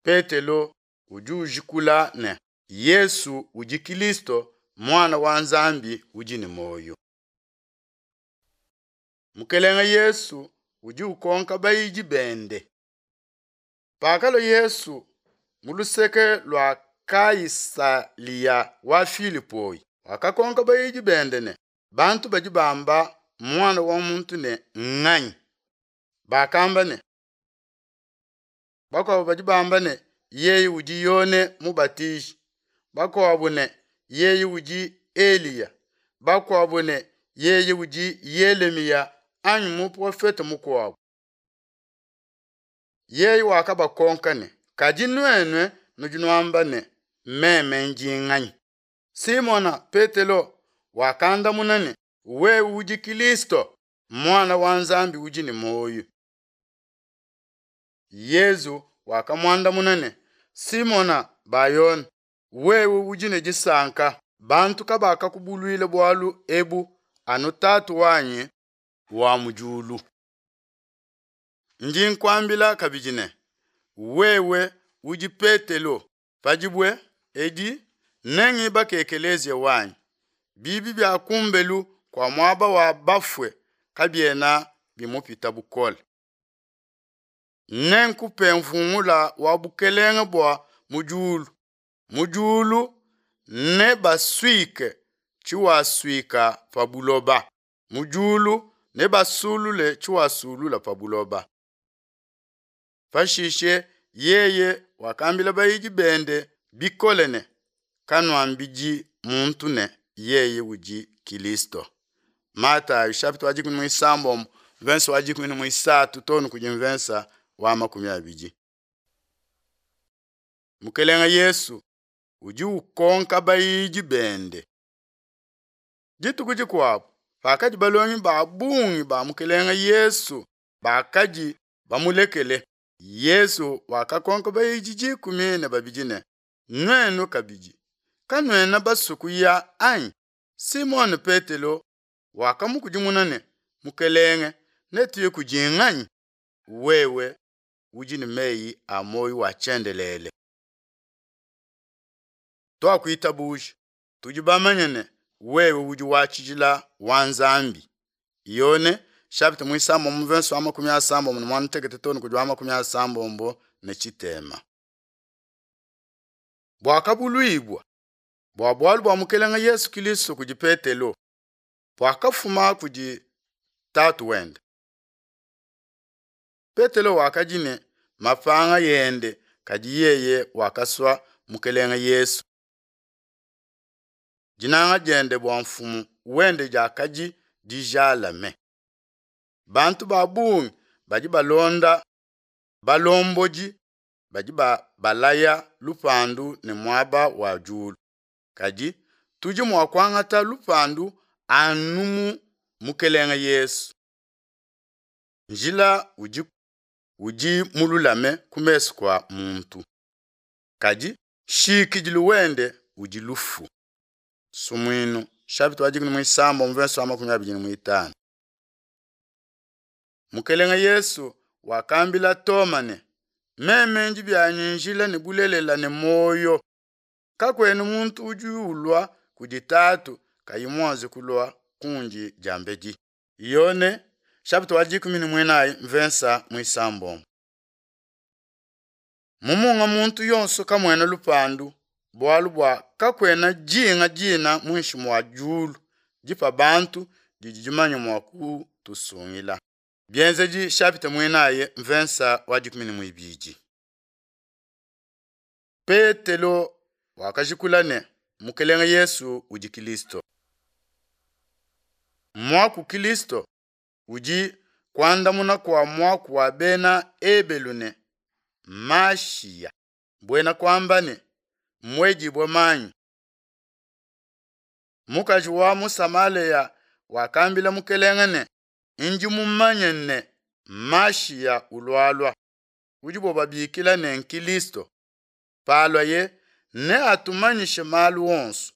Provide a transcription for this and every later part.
Petelo udi ujikula ne, Yesu udi Kilisto, Muana wa Nzambi udi ne muoyo. Mukelenge Yesu udi ukonka bayidi bende. Pakalua Yesu mu luseke lua Kaisalia wa Filipoi, wakakonka bayidi bende ne, Bantu badi bamba Muana wa muntu ne, Nganyi? Bakamba ne, Bakuabo badi bamba ne, Yeye udi Yone Mubatiji, bakuabo ne, Yeye udi Eliya, bakuabo ne, Yeye udi Yelemiya anyi muprofete mukuabo. Yeye wakabakonka ne, Kadi nuenu nudi nuamba ne, Meme ndi nganyi? Simona Petelo wakandamuna ne, Wewe udi Kilisto, Muana wa Nzambi udi ne muoyo. Yezu wakamuandamuna ne, Simona Ba-Yone, wewe udi ne disanka, bantu kabakakubuluila bualu ebu, anu Tatu wanyi wa mu diulu. Ndi nkuambila kabidi ne, wewe udi Petelo, pa dibue edi nengibake ekeleziya wanyi, bibi bia kumbelu kua muaba wa bafue kabiena bimupita bukole. Nenkupe mvungula wa bukelenge bua mu diulu, mu diulu nebasuike tshiwasuika pa buloba, mu diulu nebasulule tshiwasulula pa buloba. Pashishe yeye wakambila bayidi bende bikole ne, Kanuambidi muntu ne, yeye udi Kilisto. Matayo chapitre wa dikumi muisambombo mvensa wa dikumi ne muisatu too ne kudi mvensa wa 20. Mukelenge Yesu udi ukonka bayidi bende. Dituku dikuabo, pakadi balongi ba bungi ba Mukelenge Yesu bakadi bamulekele, Yesu wakakonka bayidi 12 ne, Nuenu kabidi, kanuena basue kuya anyi? Simone Petelo wakamukudimuna ne, Mukelenge, netuye kudi nganyi? Wewe udi ne meyi a muoyo wa tshiendelele. Tuakuitabuja, tudi bamanye ne, wewe udi wa tshijila wa Nzambi. Yone chapitre muisambombo mvenso wa 68 too ne kudi wa 63. Buakabuluibua bua bualu bua Mukelenge Yesu Kilisto kudi Petelo buakafuma kudi Tatu wende. Petelo wakadi ne mapanga ende, kadi yeye wakasua Mukelenge Yesu. Dinanga diende bua Mfumu wende diakadi dijalame. Bantu ba bungi badi balonda balombodi badi babalaya lupandu ne muaba wa diulu. Kadi tudi mua kuangata lupandu anu mu Mukelenge Yesu. Njila udi, udi mululame ku mesu kua muntu, kadi nshikidilu wende udi lufu. Sumuinu chapitre wa 16 verset wa 25. Mukelenge Yesu wakambila Toma ne, Meme ndi bianyi njila ne bulelela ne muoyo. Kakuena muntu udi ulua kudi Tatu kayi muanze kulua kundi diambedi. Yone chapitre wa 14 mvensa muisambombo. Mu munga muntu yonso kamuena lupandu, bualu bua kakuena dinga dina muinshi mua diulu dipa bantu didi dimanye mua kutusungila. Bienzedi chapitre muinayi mvensa wa 12. Petelo wakajikula ne, Mukelenge Yesu udi Kilisto. Muaku Kilisto udi kuandamuna kua muaku wa bena Ebelu ne Mashiya, buena kuamba ne muedibue manyi. Mukaji wa mu Samalea wakambila Mukelenge ne, Ndi mumanye ne Mashiya ulualua, udibo babikila ne Nkilisto. Paluaye neatumanyishe malu onso.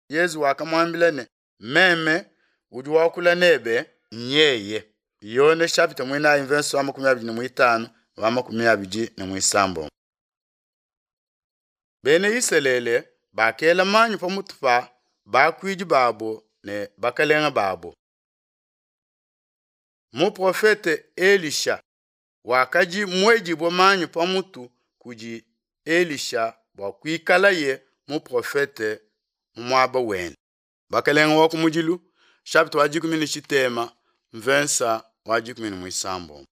Yezu wakamuambila ne, Meme udi wakula nebe nyeye. Yone chapitre muinayi mvenso wa 25 wa 26. Bena Isalele bakela manyi pamutu pa bakuidi babo ne bakelenge babo. Muprofete Elisha wakadi muedibue manyi pamutu kudi Elisha bua kuikalaye muprofete mu muaba wende. Bakelenge wa kumudilu chapitre wa dikumi ne tshitema mvensa wa 13.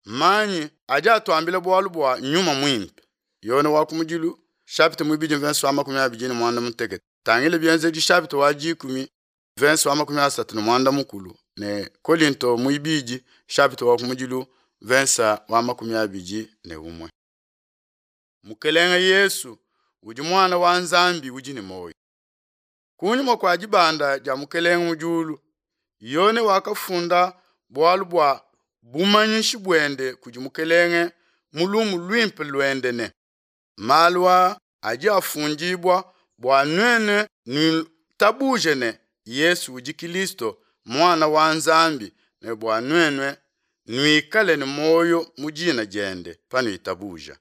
Manyi adi atuambila bualu bua Nyuma Muimpe. Yone wa kumudilu chapitre muibidi mvensa wa 28. Tangila Bienzedi chapitre wa 10 mvensa wa 38 ne Kolinto muibidi chapitre wa kumudilu mvensa wa 21. Mukelenge Yesu udi muana wa Nzambi udi ne muoyo. Kunyima kua dibanda dia Mukelenge mu diulu, Yone wakafunda bualu bua bumanyishi buende kudi Mukelenge mu lumu luimpe luende ne, Malu aa adi afundibua bua nuenu nuitabuje ne, Yesu udi Kilisto, Muana wa Nzambi, ne bua nuenu nuikale ne muoyo mu dina diende panuitabuja.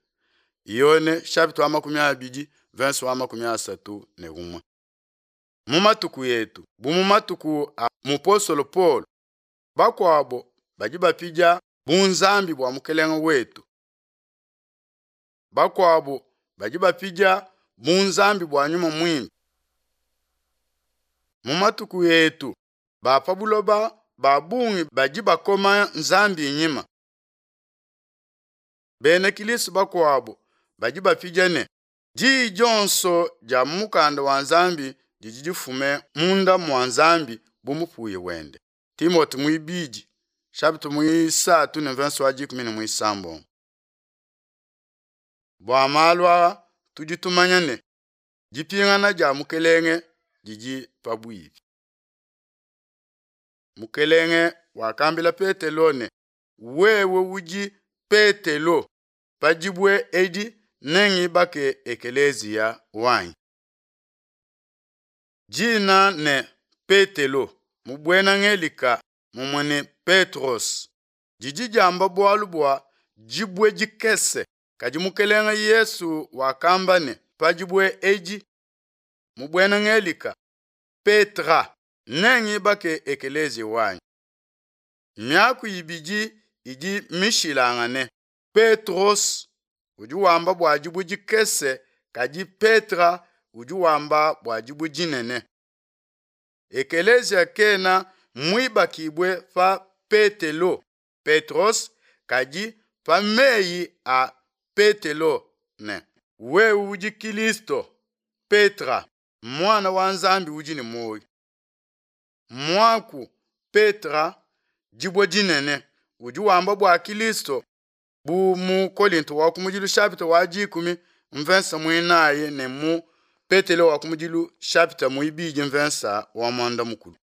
Yone chapitre wa 20 verse wa 31. Mu matuku etu, bu mu matuku a mupostolo Paulo, bakuabo badi bapidia bunzambi bua Mukelenge wetu. Bakuabo badi bapidia bunzambi bua Nyuma Muimpe. Mu matuku etu, ba pa buloba ba bungi badi bakoma Nzambi nyima. Bena Kilisto bakuabo badi bapidia ne, diyi dionso dia mu mukanda wa Nzambi didi difume munda mua Nzambi bu mupuya wende. Timote muibidi chapitre muisatu ne verse wa 17. Bua malu aa tudi tumanya ne, dipingana dia Mukelenge didi pabuipi. Mukelenge wakambila Petelo ne, wewe udi Petelo, pa dibue edi nengibake ekeleziya wanyi. Dina ne Petelo mu buena Ngelika mumue ne Petros didi diamba bualu bua dibue dikese, kadi Mukelenge Yesu wakamba ne, pa dibue edi mu buena Ngelika Petra nengibake ekeleziya wanyi. Miaku ibidi idi mishilangane. Petros udi wamba bua dibue dikese, kadi Petra udi wamba bua dibue dinene. Ekeleziya kena muibakibue pa Petelo, Petros, kadi pa meyi a Petelo ne, wewe udi Kilisto, Petra, muana wa Nzambi udi ne muoyo. Muaku Petra, dibue dinene, udi wamba bua Kilisto bu mu Kolinto wa kumudilu chapitre wa 10 mvensa muinayi ne mu Petelo wa kumudilu chapitre muibidi mvensa wa mwanda mukulu.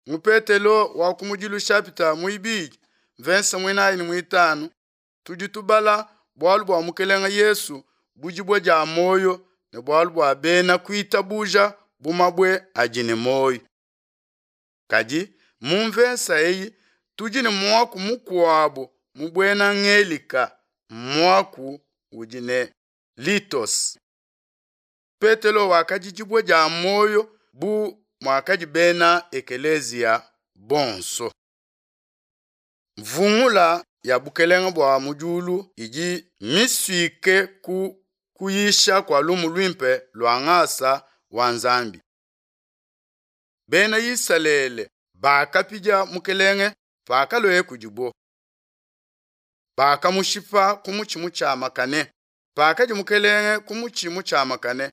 Mu Petelo wa kumudilu chapitre muibidi mvensa muinayi ne muitanu tudi tubala bualu bua Mukelenge Yesu bu dibue dia muoyo ne bualu bua bena kuitabuja bu mabue adi ne muoyo. Kadi mu mvensa eyi tudi ne muaku mukuabu mu buena Ngelika, muaku udi ne litos. Petelo wakadi dibue dia muoyo bu muakadi bena ekeleziya bonso. Mvungula ya bukelenge bua mu diulu idi misuike ku kuyisha kua lumu luimpe lua ngasa wa Nzambi. Bena Isalele bakapidia Mukelenge pakalueye kudibo. Bakamushipa ku mutshi mutshiamakane. Pakadi Mukelenge ku mutshi mutshiamakane,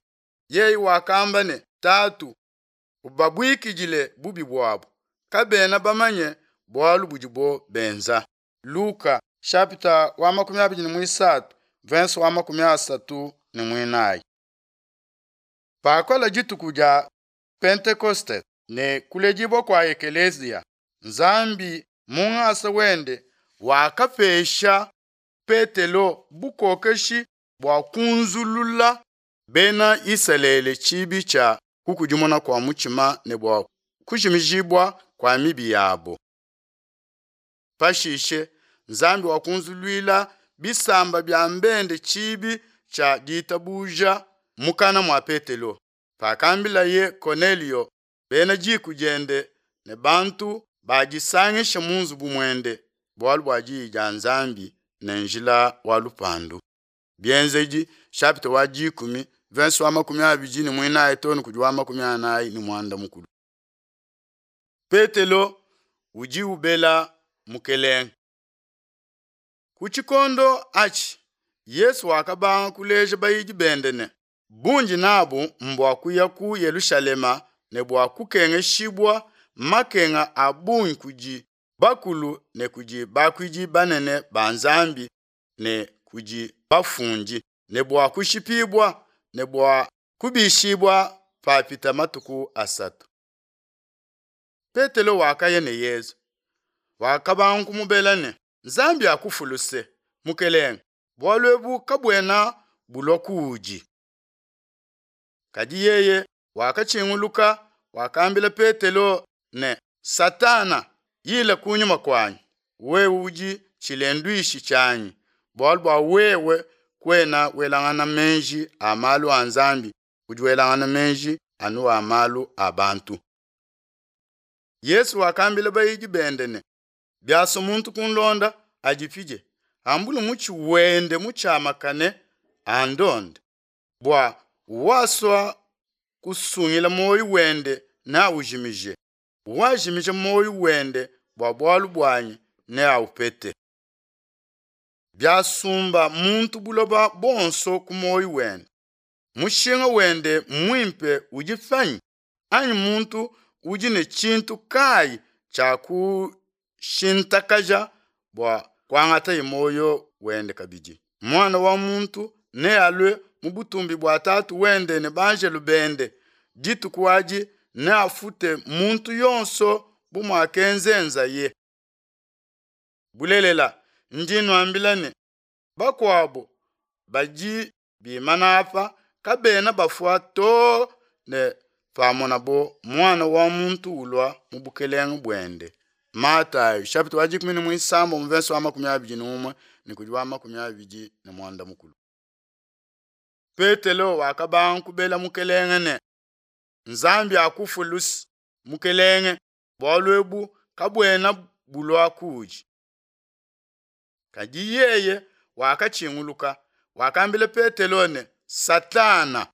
yeye wakamba ne, Tatu, ubabuikidile bubi buabo, kabena bamanye bualu budibo benza. Luka chapitre wa 23 verse wa 34. Pakalua dituku dia Pentekoste ne kuledibua kua ekeleziya, Nzambi mu ngasa wende wakapesha Petelo bukokeshi bua kunzulula bena Isalele tshibi tshia kukudimuna kua mutshima ne bua kujimijibua kua mibi yabo. Pashishe. Nzambi wakunzuluila bisamba bia mbende tshibi tshia ditabuja mukana mua Petelo, pakambilaye Konelio, bena diku diende ne bantu badisangisha mu nzubu muende bualu bua diyi dia Nzambi ne njila wa lupandu. Bienzedi chapitre wa dikumi verse wa 24 too ne kudi wa 45. Petelo udi ubela Mukelenge. Ku tshikondo atshi Yesu wakabanga kuleja bayidi bende ne, Bundi nabu mbua kuya ku Yelushalema ne bua kukengeshibua makenga a bungi kudi bakulu ne kudi bakuidi banene ba Nzambi ne kudi bafundi, ne bua kushipibua ne bua kubishibua papita matuku asatu. Petelo wakaya ne Yezu, wakabanga kumubela ne, Nzambi akufue luse, Mukelenge, bualu ebu kabuena bulua kuudi. Kadi yeye wakatshinguluka, wakambila Petelo ne, Satana, yila kunyima kuanyi, wewe udi tshilenduishi tshianyi, bualu bua wewe kuena welangana meji a malu a Nzambi, udi welangana meji anu a malu a bantu. Yesu wakambila bayidi bende ne, Biasua muntu kunlonda, adipidie, ambule mutshi wende mutshiamakane, andonde. Bua wasua kusungila muoyo wende neaujimije, wajimija muoyo wende bua bualu buanyi neaupete. Biasumba muntu buloba buonso ku muoyo wende, mushinga wende muimpe udi panyi? Anyi muntu udi ne tshintu kayi tshia kushintakaja bua kuangataye muoyo wende kabidi? Muana wa muntu nealue mu butumbi bua Tatu wende ne banjelu bende, dituku adi neafute muntu yonso bu muakenzenzaye. Bulelela, ndi nuambila ne, bakuabo badi bimana apa kabena bafua too ne pamonabo Muana wa muntu ulua mu bukelenge buende. Matayo chapitre wa dikumi ne muisambombo mverse wa 21 ne kudi wa 25. Petelo wakabanga kubela Mukelenge ne, Nzambi akufue luse, Mukelenge, bualu ebu kabuena bulua kuudi. Kadi yeye wakatshinguluka, wakambila Petelo ne, Satana,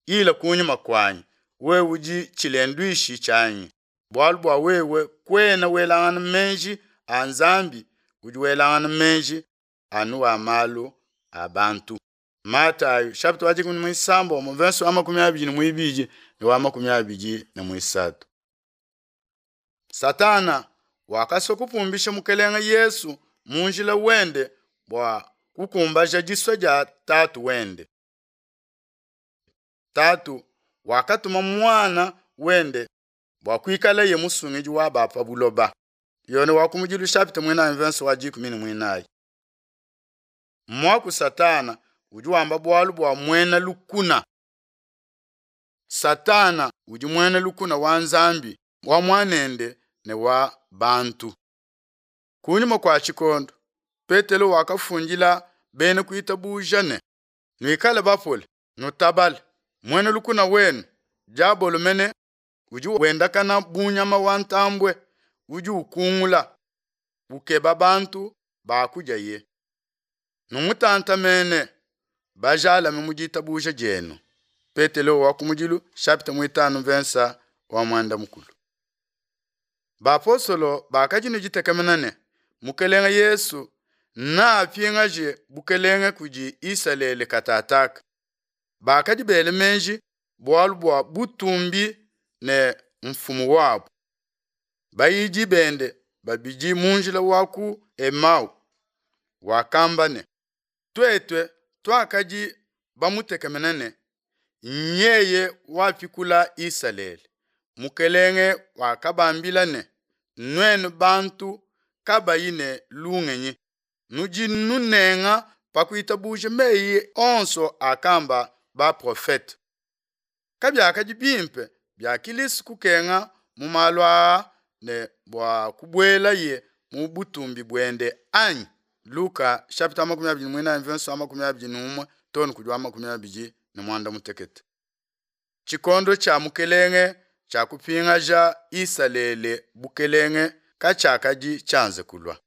ila kunyima kuanyi, wewe udi tshilenduishi tshianyi, bualu bua wewe kuena welangana meji a Nzambi, udi welangana meji anu a malu a bantu. Matayo chapitre wa dikumi ne muisambombo mverse wa 22 ne wa 23. Satana wakasua kupumbisha Mukelenge Yesu mu njila wende bua kukumbaja disua dia Tatu wende. Tatu wakatuma Muana wende bua kuikalaye musungidi wa ba pa buloba. Yone wa kumudilu chapitre muinayi mverse wa 14. Muaku Satana udi wamba bualu bua muena lukuna. Satana udi muena lukuna wa Nzambi, wa Muanende ne wa bantu. Kunyima kua tshikondo, Petelo wakafundila bena kuitabuja ne, Nuikale bapole, nutabale, muena lukuna wenu, diabolo mene, udi wendakana bu nyama wa ntambue, udi ukungula, ukeba bantu ba kudiaye. Numutantamene, bajalame mu ditabuja dienu. Petelo wa kumudilu chapitre muitanu mvensa wa muanda mukulu. Bapostolo bakadi ne ditekemena ne, Mukelenge Yesu neapingaje bukelenge kudi Isalele katataka. Bakadi bela meji bualu bua butumbi ne mfumu wabo. Bayidi bende babidi mu njila wa ku Emau wakamba ne, Tuetu tuakadi bamutekemena ne, Nyeye wapikula Isalele. Mukelenge wakabambila ne, Nuenu bantu kabayi ne lungenyi, nudi nunenga pa kuitabuja meyi onso akamba baprofete. Kabiakadi bimpe bia Kilisto kukenga mu malu aa ne bua kubuelaye mu butumbi buende, anyi? Luka shapita 24 mvenso wa 21 too ne kudi wa 25. Tshikondo tshia Mukelenge tshia kupingaja Isalele bukelenge katshiakadi tshianze kulua.